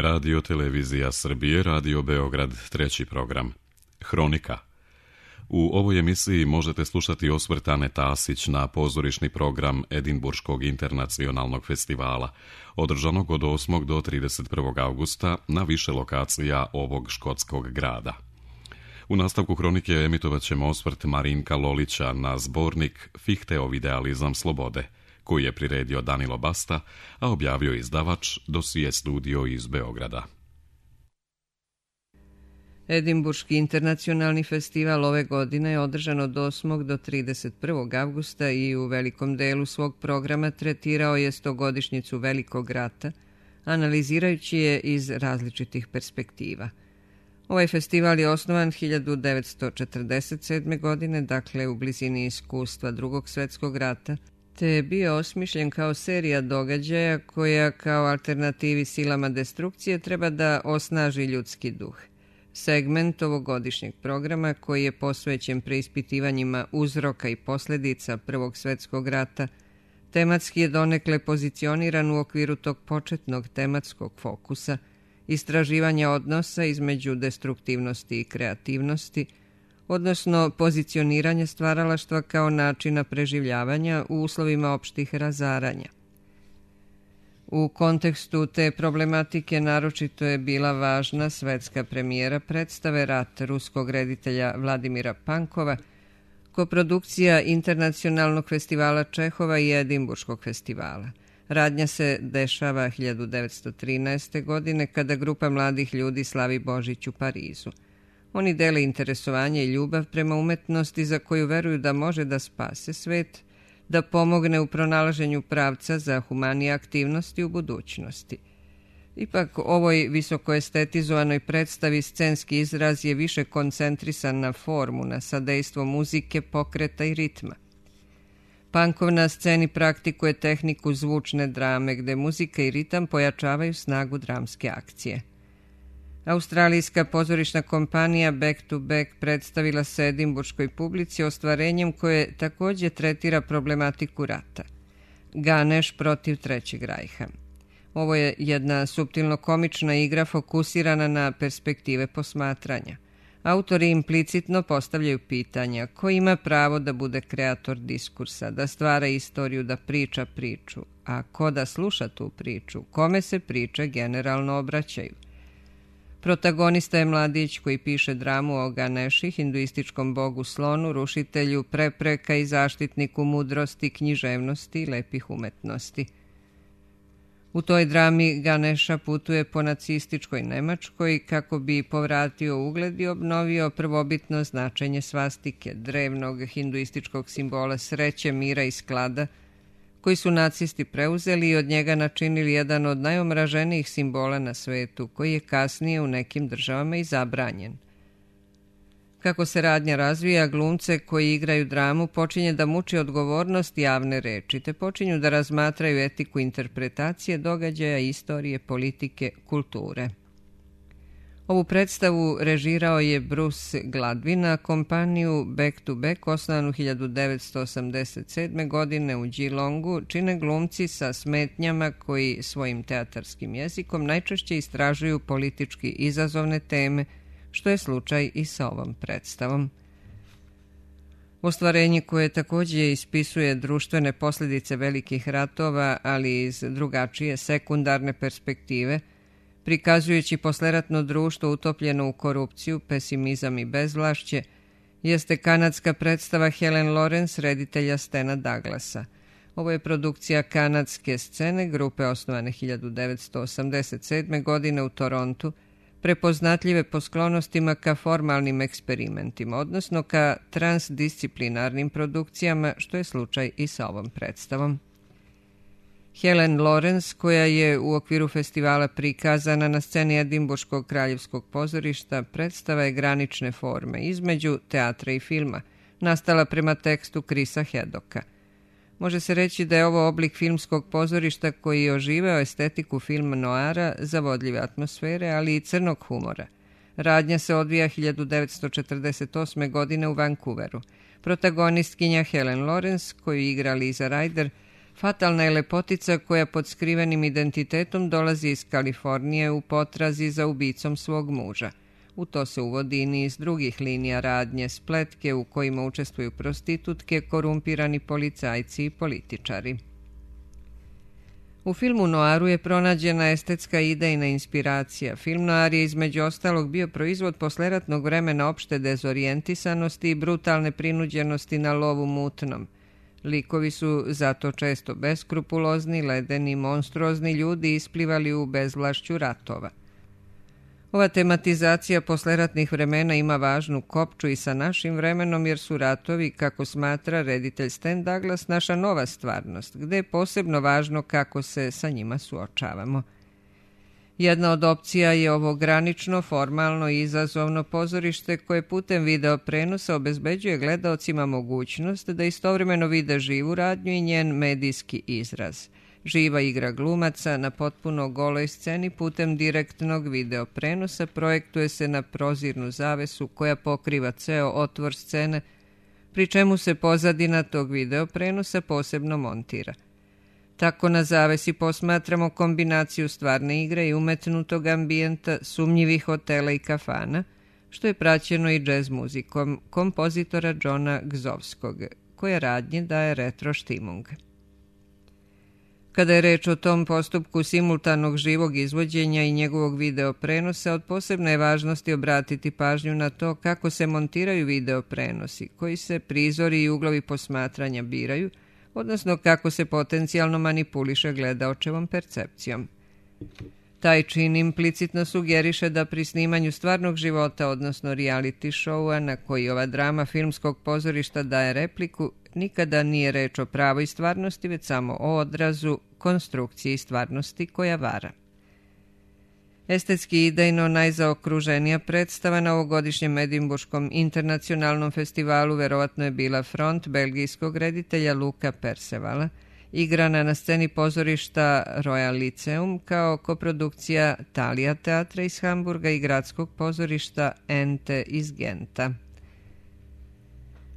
Radio Televizija Srbije, Radio Beograd, treći program. Hronika. U ovoj emisiji možete slušati osvrt Ane Tasić na pozorišni program Edinburškog internacionalnog festivala, održanog od 8. do 31. avgusta na više lokacija ovog škotskog grada. U nastavku hronike emitovat ćemo osvrt Marinka Lolića na zbornik Fihteov idealizam slobode, koji je priredio Danilo Basta, a objavio izdavač Dosije studio iz Beograda. Edinburški internacionalni festival ove godine je održan od 8. do 31. avgusta i u velikom delu svog programa tretirao je 100-godišnjicu Velikog rata, analizirajući je iz različitih perspektiva. Ovaj festival je osnovan 1947. godine, dakle u blizini iskustva Drugog svjetskog rata, te je bio osmišljen kao serija događaja koja kao alternativi silama destrukcije treba da osnaži ljudski duh. Segment ovogodišnjeg programa, koji je posvećen preispitivanjima uzroka i posljedica Prvog svjetskog rata, tematski je donekle pozicioniran u okviru tog početnog tematskog fokusa, istraživanja odnosa između destruktivnosti i kreativnosti, odnosno pozicioniranje stvaralaštva kao načina preživljavanja u uslovima opštih razaranja. U kontekstu te problematike naročito je bila važna svetska premijera predstave Rat ruskog reditelja Vladimira Pankova, koprodukcija Internacionalnog festivala Čehova i Edinburškog festivala. Radnja se dešava 1913. godine kada grupa mladih ljudi slavi Božić u Parizu. Oni dele interesovanje i ljubav prema umetnosti za koju veruju da može da spase svet, da pomogne u pronalaženju pravca za humanije aktivnosti u budućnosti. Ipak, ovoj visoko estetizovanoj predstavi scenski izraz je više koncentrisan na formu, na sadejstvo muzike, pokreta i ritma. Pankov na sceni praktikuje tehniku zvučne drame, gde muzika i ritam pojačavaju snagu dramske akcije. Australijska pozorišna kompanija Back to Back predstavila se edinburškoj publici ostvarenjem koje također tretira problematiku rata. Ganeš protiv Trećeg rajha. Ovo je jedna suptilno komična igra fokusirana na perspektive posmatranja. Autori implicitno postavljaju pitanja: ko ima pravo da bude kreator diskursa, da stvara istoriju, da priča priču, a ko da sluša tu priču, kome se priče generalno obraćaju. Protagonista je mladić koji piše dramu o Ganeši, hinduističkom bogu slonu, rušitelju prepreka i zaštitniku mudrosti, književnosti i lepih umetnosti. U toj drami Ganeša putuje po nacističkoj Nemačkoj kako bi povratio ugled i obnovio prvobitno značenje svastike, drevnog hinduističkog simbola sreće, mira i sklada, koji su nacisti preuzeli i od njega načinili jedan od najomraženijih simbola na svetu, koji je kasnije u nekim državama i zabranjen. Kako se radnja razvija, glumce koji igraju dramu počinje da muči odgovornost javne reči, te počinju da razmatraju etiku interpretacije događaja, istorije, politike, kulture. Ovu predstavu režirao je Bruce Gladwin, a kompaniju Back to Back, osnovanu 1987. godine u Geelongu, čine glumci sa smetnjama koji svojim teatarskim jezikom najčešće istražuju politički izazovne teme, što je slučaj i sa ovom predstavom. Ostvarenje koje također ispisuje društvene posljedice velikih ratova, ali iz drugačije sekundarne perspektive, prikazujući posleratno društvo utopljeno u korupciju, pesimizam i bezvlašće, jeste kanadska predstava Helen Lawrence, reditelja Stena Douglasa. Ovo je produkcija kanadske scene, grupe osnovane 1987. godine u Torontu, prepoznatljive po sklonostima ka formalnim eksperimentima, odnosno ka transdisciplinarnim produkcijama, što je slučaj i sa ovom predstavom. Helen Lawrence, koja je u okviru festivala prikazana na sceni Edinburškog kraljevskog pozorišta, predstava je granične forme između teatra i filma, nastala prema tekstu Chrisa Haddocka. Može se reći da je ovo oblik filmskog pozorišta koji je oživeo estetiku filma noara, zavodljive atmosfere, ali i crnog humora. Radnja se odvija 1948. godine u Vancouveru. Protagonistkinja Helen Lawrence, koju igra Liza Ryder, Fatalna je lepotica koja pod skrivenim identitetom dolazi iz Kalifornije u potrazi za ubicom svog muža. U to se uvodi i niz drugih linija radnje, spletke u kojima učestvuju prostitutke, korumpirani policajci i političari. U filmu Noaru je pronađena estetska idejna inspiracija. Film Noar je između ostalog bio proizvod posleratnog vremena opšte dezorijentisanosti i brutalne prinuđenosti na lovu mutnom. Likovi su zato često beskrupulozni, ledeni, monstruozni ljudi isplivali u bezvlašću ratova. Ova tematizacija posleratnih vremena ima važnu kopču i sa našim vremenom jer su ratovi, kako smatra reditelj Stan Douglas, naša nova stvarnost, gde je posebno važno kako se sa njima suočavamo. Jedna od opcija je ovo granično, formalno i izazovno pozorište koje putem video prenosa obezbeđuje gledaocima mogućnost da istovremeno vide živu radnju i njen medijski izraz. Živa igra glumaca na potpuno goloj sceni putem direktnog video prenosa projektuje se na prozirnu zavesu koja pokriva ceo otvor scene, pri čemu se pozadina tog video prenosa posebno montira. Tako na zavesi posmatramo kombinaciju stvarne igre i umetnutog ambijenta, sumnjivih hotela i kafana, što je praćeno i džez muzikom kompozitora Johna Gzovskog, koja radnje daje retro štimung. Kada je reč o tom postupku simultanog živog izvođenja i njegovog video prenosa, od posebne je važnosti obratiti pažnju na to kako se montiraju video prenosi, koji se prizori i uglovi posmatranja biraju, odnosno kako se potencijalno manipuliše gledaočevom percepcijom. Taj čin implicitno sugeriše da pri snimanju stvarnog života, odnosno reality showa na koji ova drama filmskog pozorišta daje repliku, nikada nije reč o pravoj stvarnosti, već samo o odrazu, konstrukciji stvarnosti koja vara. Estetski i idejno najzaokruženija predstava na ovogodišnjem Edinburškom internacionalnom festivalu verovatno je bila Front belgijskog reditelja Luca Percevala, igrana na sceni pozorišta Royal Lyceum kao koprodukcija Thalia teatra iz Hamburga i gradskog pozorišta Ente iz Genta.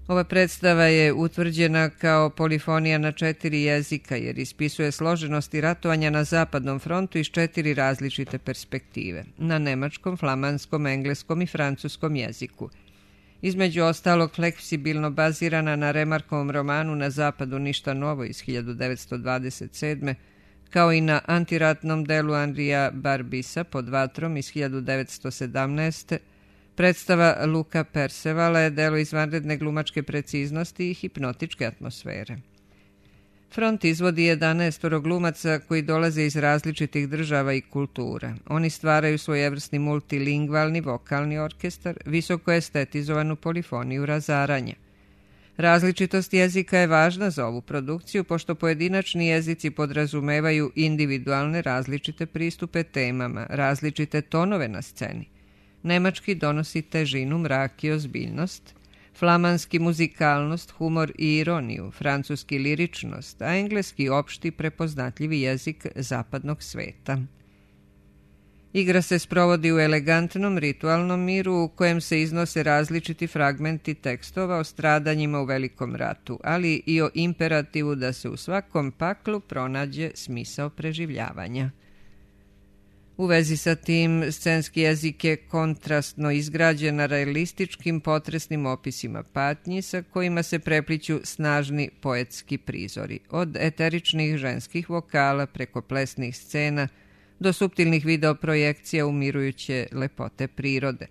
Ova predstava je utvrđena kao polifonija na 4 jezika jer ispisuje složenosti ratovanja na Zapadnom frontu iz 4 različite perspektive, na nemačkom, flamanskom, engleskom i francuskom jeziku. Između ostalog fleksibilno bazirana na Remarkovom romanu Na zapadu ništa novo iz 1927. kao i na antiratnom delu Andrija Barbisa Pod vatrom iz 1917. Predstava Luca Percevala je delo izvanredne glumačke preciznosti i hipnotičke atmosfere. Front izvodi 11 glumaca koji dolaze iz različitih država i kultura. Oni stvaraju svojevrsni multilingvalni vokalni orkestar, visoko estetizovanu polifoniju razaranja. Različitost jezika je važna za ovu produkciju, pošto pojedinačni jezici podrazumevaju individualne različite pristupe temama, različite tonove na sceni. Nemački donosi težinu, mrak i ozbiljnost, flamanski muzikalnost, humor i ironiju, francuski liričnost, a engleski opšti prepoznatljivi jezik zapadnog sveta. Igra se sprovodi u elegantnom ritualnom miru u kojem se iznose različiti fragmenti tekstova o stradanjima u Velikom ratu, ali i o imperativu da se u svakom paklu pronađe smisao preživljavanja. U vezi sa tim, scenski jezik je kontrastno izgrađen na realističkim potresnim opisima patnji sa kojima se prepliću snažni poetski prizori, od eteričnih ženskih vokala preko plesnih scena do suptilnih videoprojekcija umirujuće lepote prirode.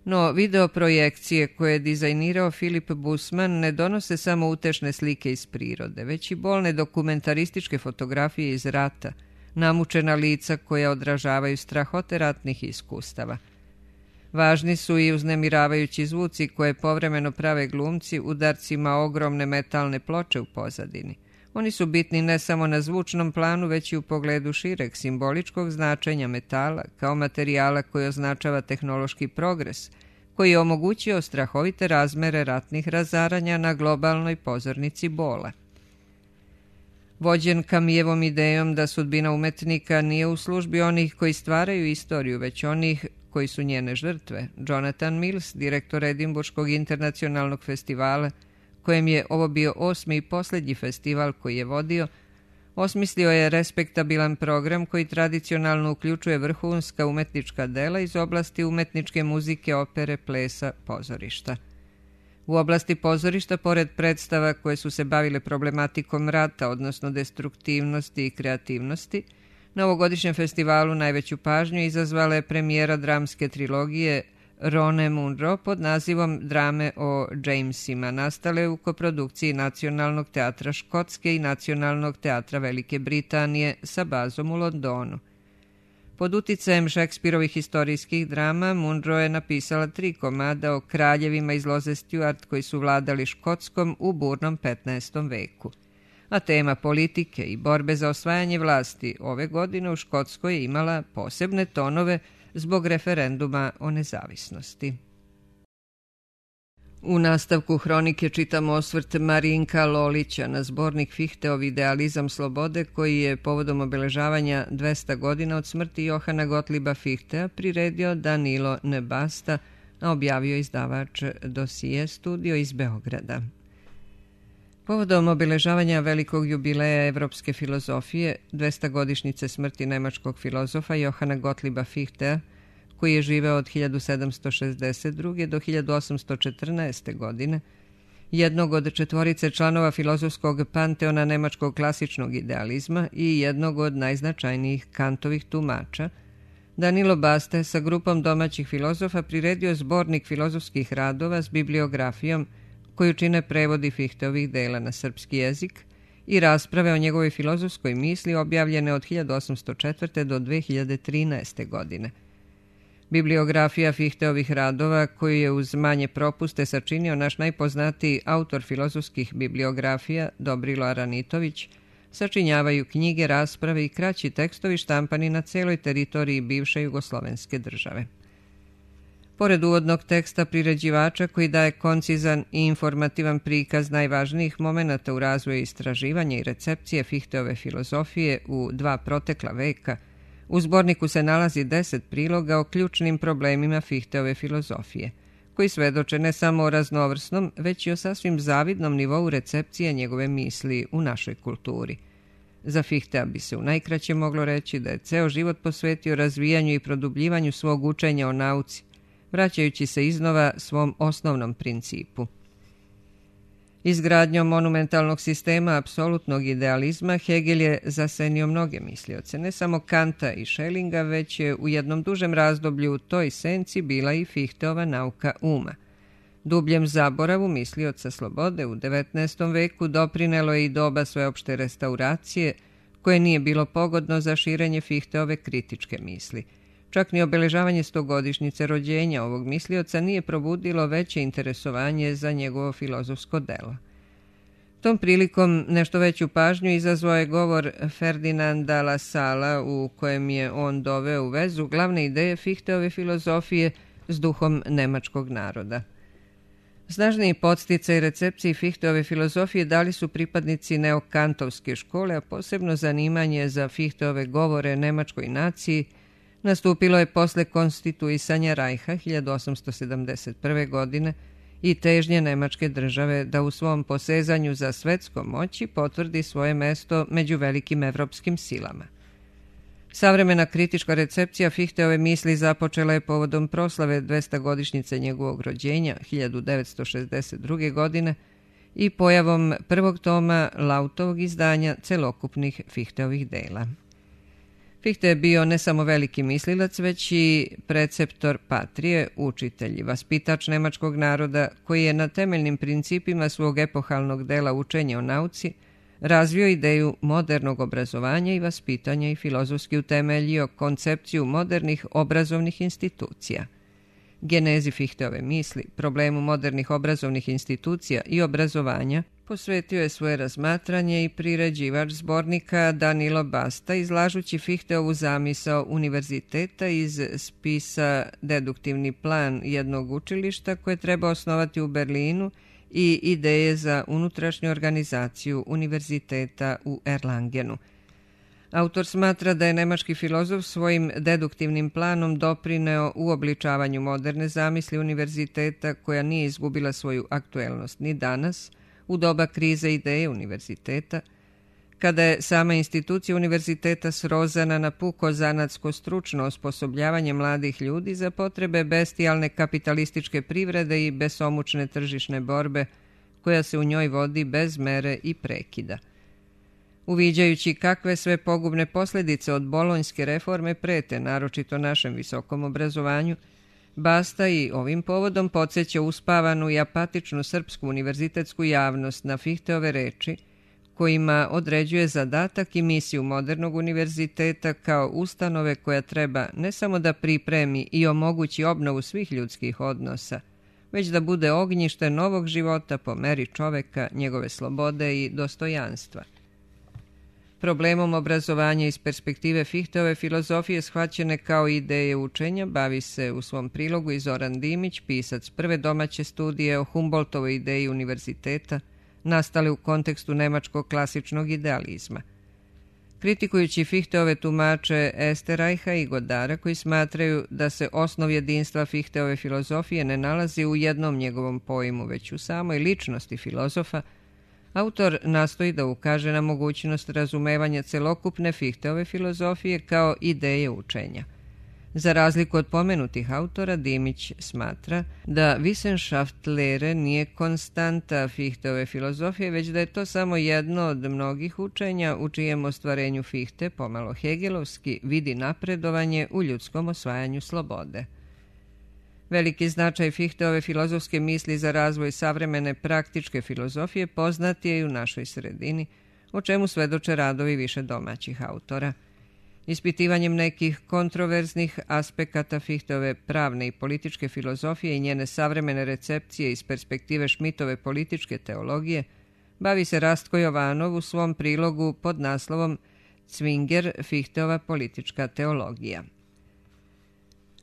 No, videoprojekcije koje je dizajnirao Philip Bussman ne donose samo utešne slike iz prirode, već i bolne dokumentarističke fotografije iz rata, namučena lica koja odražavaju strahote ratnih iskustava. Važni su i uznemiravajući zvuci koje povremeno prave glumci udarcima ogromne metalne ploče u pozadini. Oni su bitni ne samo na zvučnom planu, već i u pogledu šireg simboličkog značenja metala kao materijala koji označava tehnološki progres, koji je omogućio strahovite razmere ratnih razaranja na globalnoj pozornici bola. Vođen Kamijevom idejom da sudbina umetnika nije u službi onih koji stvaraju istoriju, već onih koji su njene žrtve, Jonathan Mills, direktor Edinburškog internacionalnog festivala, kojem je ovo bio 8. i posljednji festival koji je vodio, osmislio je respektabilan program koji tradicionalno uključuje vrhunska umetnička dela iz oblasti umetničke muzike, opere, plesa, pozorišta. U oblasti pozorišta, pored predstava koje su se bavile problematikom rata, odnosno destruktivnosti i kreativnosti, na ovogodišnjem festivalu najveću pažnju izazvala je premijera dramske trilogije Rone Munro pod nazivom Drame o Jamesima, nastale u koprodukciji Nacionalnog teatra Škotske i Nacionalnog teatra Velike Britanije sa bazom u Londonu. Pod uticajem Šekspirovih historijskih drama, Munro je napisala 3 komada o kraljevima iz loze Stuart koji su vladali Škotskom u burnom 15. veku. A tema politike i borbe za osvajanje vlasti ove godine u Škotskoj je imala posebne tonove zbog referenduma o nezavisnosti. U nastavku hronike čitamo osvrt Marinka Lolića na zbornik Fihteov Idealizam slobode koji je povodom obeležavanja 200 godina od smrti Johana Gottlieba Fichtea priredio Danilo Nebasta, a objavio izdavač Dosije studio iz Beograda. Povodom obeležavanja velikog jubileja evropske filozofije, 200-godišnjice smrti nemačkog filozofa Johana Gottlieba Fichtea, koji je živeo od 1762. do 1814. godine, jednog od 4 članova filozofskog panteona nemačkog klasičnog idealizma i jednog od najznačajnijih Kantovih tumača, Danilo Basta sa grupom domaćih filozofa priredio zbornik filozofskih radova s bibliografijom koju čine prevodi Fichteovih dela na srpski jezik i rasprave o njegovoj filozofskoj misli objavljene od 1804. do 2013. godine. Bibliografija Fichteovih radova, koju je uz manje propuste sačinio naš najpoznatiji autor filozofskih bibliografija Dobrilo Aranitović, sačinjavaju knjige, rasprave i kraći tekstovi štampani na celoj teritoriji bivše jugoslovenske države. Pored uvodnog teksta priređivača koji daje koncizan i informativan prikaz najvažnijih momenata u razvoju istraživanja i recepcije Fichteove filozofije u 2 protekla veka, u zborniku se nalazi 10 priloga o ključnim problemima Fichteove filozofije, koji svedoče ne samo o raznovrsnom, već i o sasvim zavidnom nivou recepcije njegove misli u našoj kulturi. Za Fichtea bi se u najkraće moglo reći da je ceo život posvetio razvijanju i produbljivanju svog učenja o nauci, vraćajući se iznova svom osnovnom principu. Izgradnjom monumentalnog sistema apsolutnog idealizma Hegel je zasenio mnoge mislioce, ne samo Kanta i Schellinga, već je u jednom dužem razdoblju u toj senci bila i Fichteova nauka uma. Dubljem zaboravu mislioca slobode u 19. veku doprinelo je i doba sveopšte restauracije, koje nije bilo pogodno za širenje Fichteove kritičke misli. Čak ni obeležavanje 100-godišnjice rođenja ovog mislioca nije probudilo veće interesovanje za njegovo filozofsko delo. Tom prilikom nešto veću pažnju izazvao je govor Ferdinanda Lasala u kojem je on doveo u vezu glavne ideje Fichteove filozofije s duhom nemačkog naroda. Snažniji podsticaj recepciji Fichteove filozofije dali su pripadnici neokantovske škole, a posebno zanimanje za Fichteove govore nemačkoj naciji nastupilo je posle konstituisanja Rajha 1871. godine i težnje nemačke države da u svom posezanju za svetskom moći potvrdi svoje mesto među velikim evropskim silama. Savremena kritička recepcija Fichteove misli započela je povodom proslave 200-godišnjice njegovog rođenja 1962. godine i pojavom prvog toma Lautovog izdanja celokupnih Fichteovih dela. Fichte je bio ne samo veliki mislilac, već i preceptor patrije, učitelj i vaspitač nemačkog naroda, koji je na temeljnim principima svog epohalnog dela Učenje o nauci razvio ideju modernog obrazovanja i vaspitanja i filozofski utemeljio koncepciju modernih obrazovnih institucija. Genezi Fichteove misli, problemu modernih obrazovnih institucija i obrazovanja, posvetio je svoje razmatranje i priređivač zbornika Danilo Basta, izlažući Fichteovu zamisao univerziteta iz spisa Deduktivni plan jednog učilišta koje treba osnovati u Berlinu i ideje za unutrašnju organizaciju univerziteta u Erlangenu. Autor smatra da je nemački filozof svojim deduktivnim planom doprineo uobličavanju moderne zamisli univerziteta koja nije izgubila svoju aktuelnost ni danas, u doba krize ideje univerziteta, kada je sama institucija univerziteta srozana na puko zanatsko stručno osposobljavanje mladih ljudi za potrebe bestijalne kapitalističke privrede i besomučne tržišne borbe koja se u njoj vodi bez mere i prekida. Uviđajući kakve sve pogubne posljedice od bolonjske reforme prete, naročito našem visokom obrazovanju, Basta i ovim povodom podsjeća uspavanu i apatičnu srpsku univerzitetsku javnost na Fihteove reči, kojima određuje zadatak i misiju modernog univerziteta kao ustanove koja treba ne samo da pripremi i omogući obnovu svih ljudskih odnosa, već da bude ognjište novog života po meri čoveka, njegove slobode i dostojanstva. Problemom obrazovanja iz perspektive Fihteove filozofije shvaćene kao ideje učenja bavi se u svom prilogu i Zoran Dimić, pisac prve domaće studije o Humboldtovoj ideji univerziteta, nastale u kontekstu nemačkog klasičnog idealizma. Kritikujući Fihteove tumače Esterajha i Godara, koji smatraju da se osnov jedinstva Fihteove filozofije ne nalazi u jednom njegovom pojmu, već u samoj ličnosti filozofa, autor nastoji da ukaže na mogućnost razumevanja celokupne Fihteove filozofije kao ideje učenja. Za razliku od pomenutih autora, Dimić smatra da Wissenschaftslehre nije konstanta Fihteove filozofije, već da je to samo jedno od mnogih učenja u čijem ostvarenju Fichte, pomalo hegelovski, vidi napredovanje u ljudskom osvajanju slobode. Veliki značaj Fihteove filozofske misli za razvoj savremene praktičke filozofije poznat je i u našoj sredini, o čemu svedoče radovi više domaćih autora. Ispitivanjem nekih kontroverznih aspekata Fichtove pravne i političke filozofije i njene savremene recepcije iz perspektive Schmittove političke teologije bavi se Rastko Jovanov u svom prilogu pod naslovom Cvinger, Fichtova politička teologija.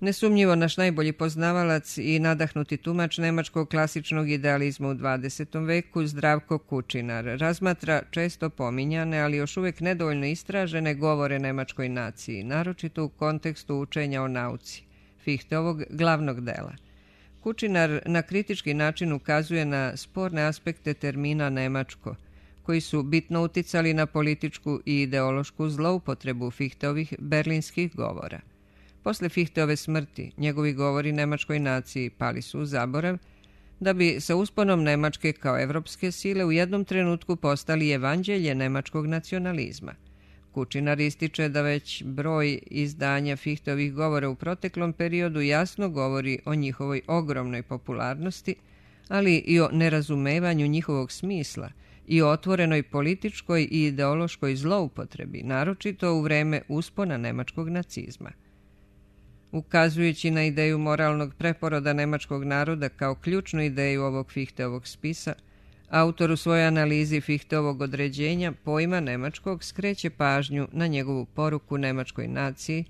Nesumnjivo naš najbolji poznavalac i nadahnuti tumač nemačkog klasičnog idealizma u 20. veku, Zdravko Kučinar, razmatra često pominjane, ali još uvijek nedovoljno istražene govore nemačkoj naciji, naročito u kontekstu učenja o nauci, Fichteovog glavnog dela. Kučinar na kritički način ukazuje na sporne aspekte termina nemačko, koji su bitno uticali na političku i ideološku zloupotrebu Fichteovih berlinskih govora. Posle Fichteove smrti, njegovi govori nemačkoj naciji pali su u zaborav, da bi sa usponom Nemačke kao evropske sile u jednom trenutku postali evanđelje nemačkog nacionalizma. Kučinar ističe da već broj izdanja Fichteovih govora u proteklom periodu jasno govori o njihovoj ogromnoj popularnosti, ali i o nerazumevanju njihovog smisla i o otvorenoj političkoj i ideološkoj zloupotrebi, naročito u vreme uspona nemačkog nacizma. Ukazujući na ideju moralnog preporoda nemačkog naroda kao ključnu ideju ovog Fichteovog spisa, autor u svojoj analizi Fichteovog određenja pojma nemačkog skreće pažnju na njegovu poruku nemačkoj naciji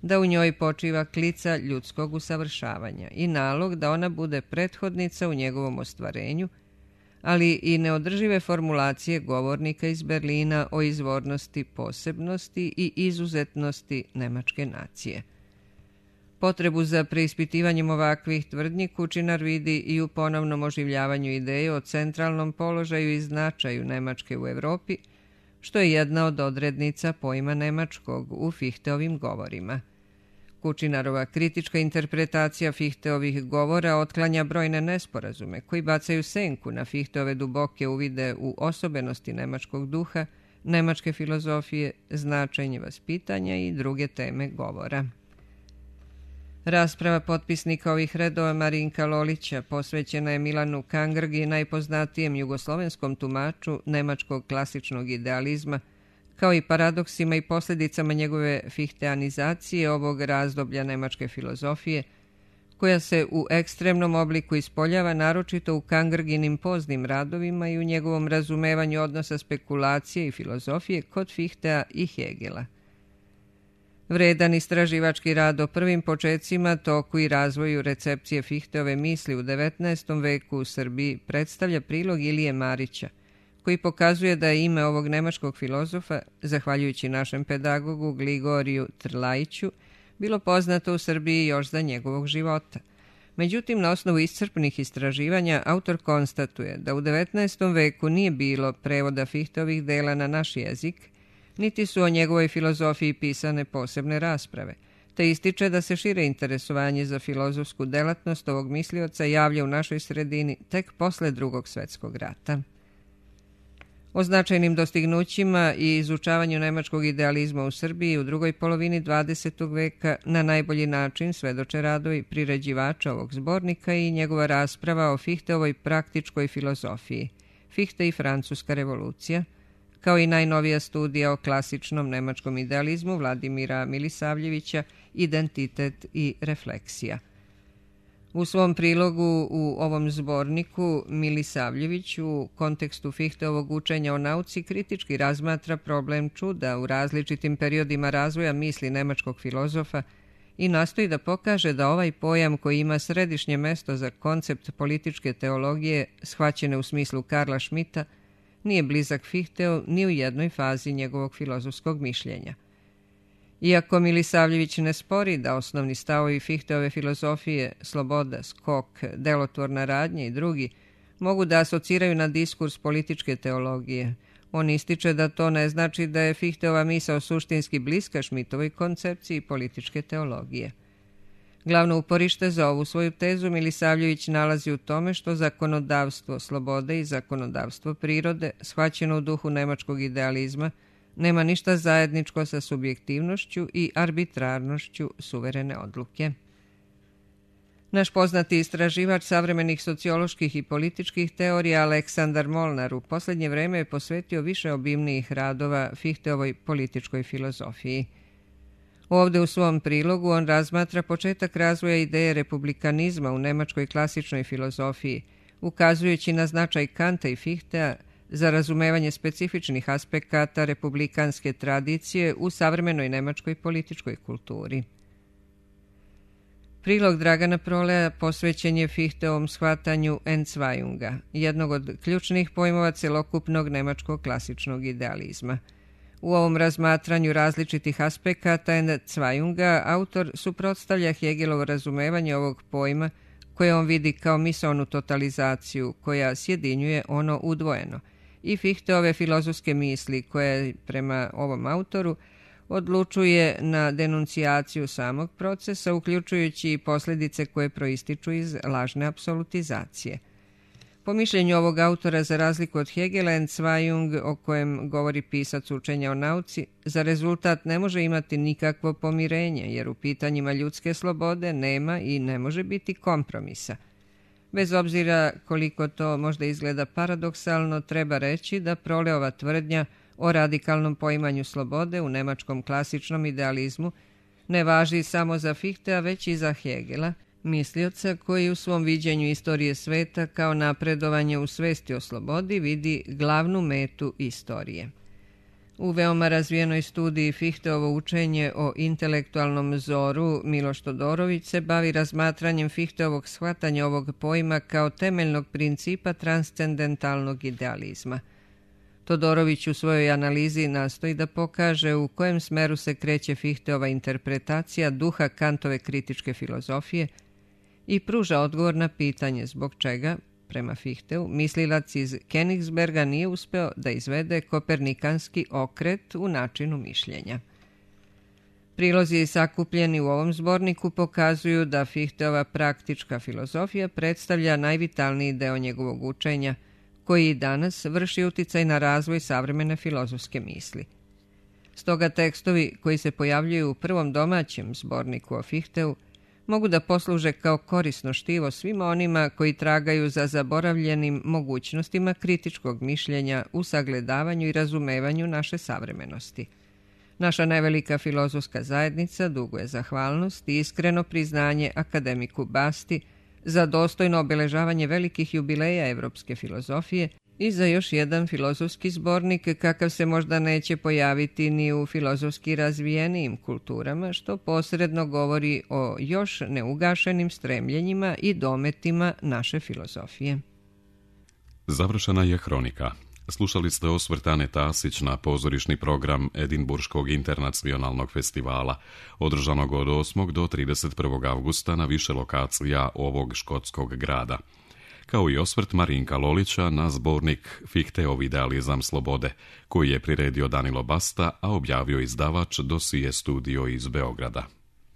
da u njoj počiva klica ljudskog usavršavanja i nalog da ona bude prethodnica u njegovom ostvarenju, ali i neodržive formulacije govornika iz Berlina o izvornosti, posebnosti i izuzetnosti nemačke nacije. Potrebu za preispitivanjem ovakvih tvrdnji Kučinar vidi i u ponovnom oživljavanju ideje o centralnom položaju i značaju Nemačke u Evropi, što je jedna od odrednica pojma nemačkog u Fichteovim govorima. Kučinarova kritička interpretacija Fichteovih govora otklanja brojne nesporazume koji bacaju senku na Fichteove duboke uvide u osobenosti nemačkog duha, nemačke filozofije, značenje vaspitanja i druge teme govora. Rasprava potpisnika ovih redova Marinka Lolića posvećena je Milanu Kangrgi, najpoznatijem jugoslovenskom tumaču nemačkog klasičnog idealizma, kao i paradoksima i posljedicama njegove fihteanizacije ovog razdoblja nemačke filozofije, koja se u ekstremnom obliku ispoljava naročito u Kangrginim poznim radovima i u njegovom razumevanju odnosa spekulacije i filozofije kod Fichtea i Hegela. Vredan istraživački rad o prvim počecima, toku i razvoju recepcije Fichteove misli u 19. veku u Srbiji predstavlja prilog Ilije Marića, koji pokazuje da je ime ovog nemačkog filozofa, zahvaljujući našem pedagogu Gligoriju Trlajiću, bilo poznato u Srbiji još za njegovog života. Međutim, na osnovu iscrpnih istraživanja, autor konstatuje da u 19. veku nije bilo prevoda Fichteovih dela na naš jezik, niti su o njegovoj filozofiji pisane posebne rasprave, te ističe da se šire interesovanje za filozofsku delatnost ovog mislioca javlja u našoj sredini tek posle Drugog svjetskog rata. O značajnim dostignućima i izučavanju nemačkog idealizma u Srbiji u drugoj polovini 20. veka na najbolji način svedoče radovi priređivača ovog zbornika i njegova rasprava o Fichteovoj praktičkoj filozofiji, Fichte i Francuska revolucija, kao i najnovija studija o klasičnom nemačkom idealizmu Vladimira Milisavljevića, Identitet i refleksija. U svom prilogu u ovom zborniku Milisavljević u kontekstu Fichteovog učenja o nauci kritički razmatra problem čuda u različitim periodima razvoja misli nemačkog filozofa i nastoji da pokaže da ovaj pojam koji ima središnje mesto za koncept političke teologije shvaćene u smislu Karla Schmitta nije blizak Fichteu ni u jednoj fazi njegovog filozofskog mišljenja. Iako Milisavljević ne spori da osnovni stavovi Fichteove filozofije, sloboda, skok, delotvorna radnja i drugi, mogu da asociraju na diskurs političke teologije, on ističe da to ne znači da je Fichteova misao suštinski bliska Schmittovoj koncepciji političke teologije. Glavno uporište za ovu svoju tezu Milisavljević nalazi u tome što zakonodavstvo slobode i zakonodavstvo prirode, shvaćeno u duhu nemačkog idealizma, nema ništa zajedničko sa subjektivnošću i arbitrarnošću suverene odluke. Naš poznati istraživač savremenih socioloških i političkih teorija Aleksandar Molnar u posljednje vreme je posvetio više obimnijih radova Fichteovoj političkoj filozofiji. Ovdje u svom prilogu on razmatra početak razvoja ideje republikanizma u nemačkoj klasičnoj filozofiji, ukazujući na značaj Kanta i Fichtea za razumevanje specifičnih aspekata republikanske tradicije u savremenoj nemačkoj političkoj kulturi. Prilog Dragana Proleja posvećen je Fichteovom shvatanju Endzweiunga, jednog od ključnih pojmova celokupnog nemačkog klasičnog idealizma. U ovom razmatranju različitih aspekata Endzweiunga autor suprotstavlja Hegelovo razumevanje ovog pojma koje on vidi kao misaonu totalizaciju koja sjedinjuje ono udvojeno i Fichteove filozofske misli koje prema ovom autoru odlučuje na denuncijaciju samog procesa, uključujući i posljedice koje proističu iz lažne apsolutizacije. Po mišljenju ovog autora, za razliku od Hegela, Endzweiung, o kojem govori pisac učenja o nauci, za rezultat ne može imati nikakvo pomirenje, jer u pitanjima ljudske slobode nema i ne može biti kompromisa. Bez obzira koliko to možda izgleda paradoksalno, treba reći da Proleova tvrdnja o radikalnom poimanju slobode u nemačkom klasičnom idealizmu ne važi samo za Fichtea, već i za Hegela, mislioca koji u svom viđenju istorije sveta kao napredovanje u svesti o slobodi vidi glavnu metu istorije. U veoma razvijenoj studiji Fichteovo učenje o intelektualnom zoru Miloš Todorović se bavi razmatranjem Fichteovog shvatanja ovog pojma kao temeljnog principa transcendentalnog idealizma. Todorović u svojoj analizi nastoji da pokaže u kojem smeru se kreće Fichteova interpretacija duha Kantove kritičke filozofije i pruža odgovor na pitanje zbog čega, prema Fichteu, mislilac iz Königsberga nije uspeo da izvede kopernikanski okret u načinu mišljenja. Prilozi sakupljeni u ovom zborniku pokazuju da Fichteova praktička filozofija predstavlja najvitalniji deo njegovog učenja, koji i danas vrši uticaj na razvoj savremene filozofske misli. Stoga tekstovi koji se pojavljuju u prvom domaćem zborniku o Fichteu mogu da posluže kao korisno štivo svima onima koji tragaju za zaboravljenim mogućnostima kritičkog mišljenja u sagledavanju i razumevanju naše savremenosti. Naša nevelika filozofska zajednica duguje zahvalnost i iskreno priznanje akademiku Basti za dostojno obeležavanje velikih jubileja evropske filozofije i za još jedan filozofski zbornik kakav se možda neće pojaviti ni u filozofski razvijenijim kulturama, što posredno govori o još neugašenim stremljenjima i dometima naše filozofije. Završena je Hronika. Slušali ste osvrt Ane Tasić na pozorišni program Edinburškog internacionalnog festivala, održanog od 8. do 31. avgusta na više lokacija ovog škotskog grada. Kao i osvrt Marinka Lolića na zbornik Fichteov idealizam slobode, koji je priredio Danilo Basta, a objavio izdavač Dosije studio iz Beograda.